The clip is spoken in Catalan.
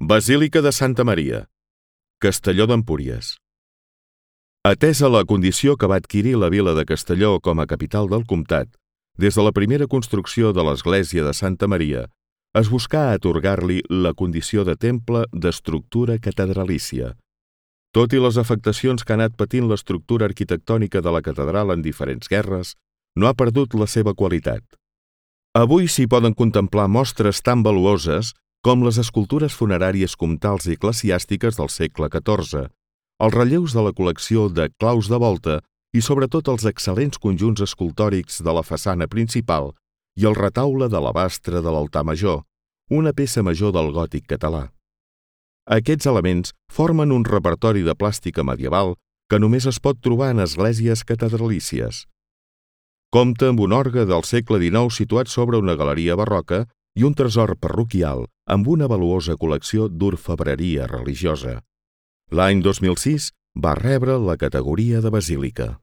Basílica de Santa Maria, Castelló d'Empúries. Atesa la condició que va adquirir la vila de Castelló com a capital del comtat, des de la primera construcció de l'església de Santa Maria, es buscà atorgar-li la condició de temple d'estructura catedralícia. Tot i les afectacions que ha anat patint l'estructura arquitectònica de la catedral en diferents guerres, no ha perdut la seva qualitat. Avui s'hi poden contemplar mostres tan valuoses com les escultures funeràries comtals i eclesiàstiques del segle XIV, els relleus de la col·lecció de claus de volta i sobretot els excel·lents conjunts escultòrics de la façana principal i el retaule d'alabastre de l'altar major, una peça major del gòtic català. Aquests elements formen un repertori de plàstica medieval que només es pot trobar en esglésies catedralícies. Compta amb un orgue del segle XIX situat sobre una galeria barroca i un tresor parroquial amb una valuosa col·lecció d'orfebreria religiosa. L'any 2006 va rebre la categoria de basílica.